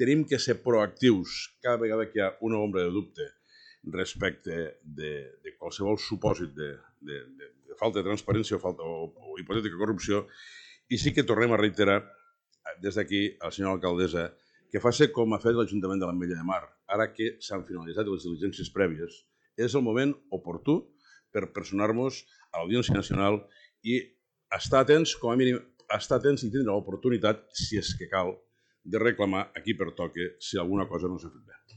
tenim que ser proactius cada vegada que hi ha una ombra de dubte respecte de qualsevol supòsit de falta de transparència o hipotètica corrupció, i sí que tornem a reiterar des d'aquí a la senyora alcaldessa que faci com ha fet l'Ajuntament de l'Ametlla de Mar. Ara que s'han finalitzat les diligències prèvies, és el moment oportú per personar-nos a l'Audiència Nacional i estar atents, com a mínim, estar atents i tindre l'oportunitat, si és que cal, de reclamar a qui pertoca si alguna cosa no s'ha fet bé.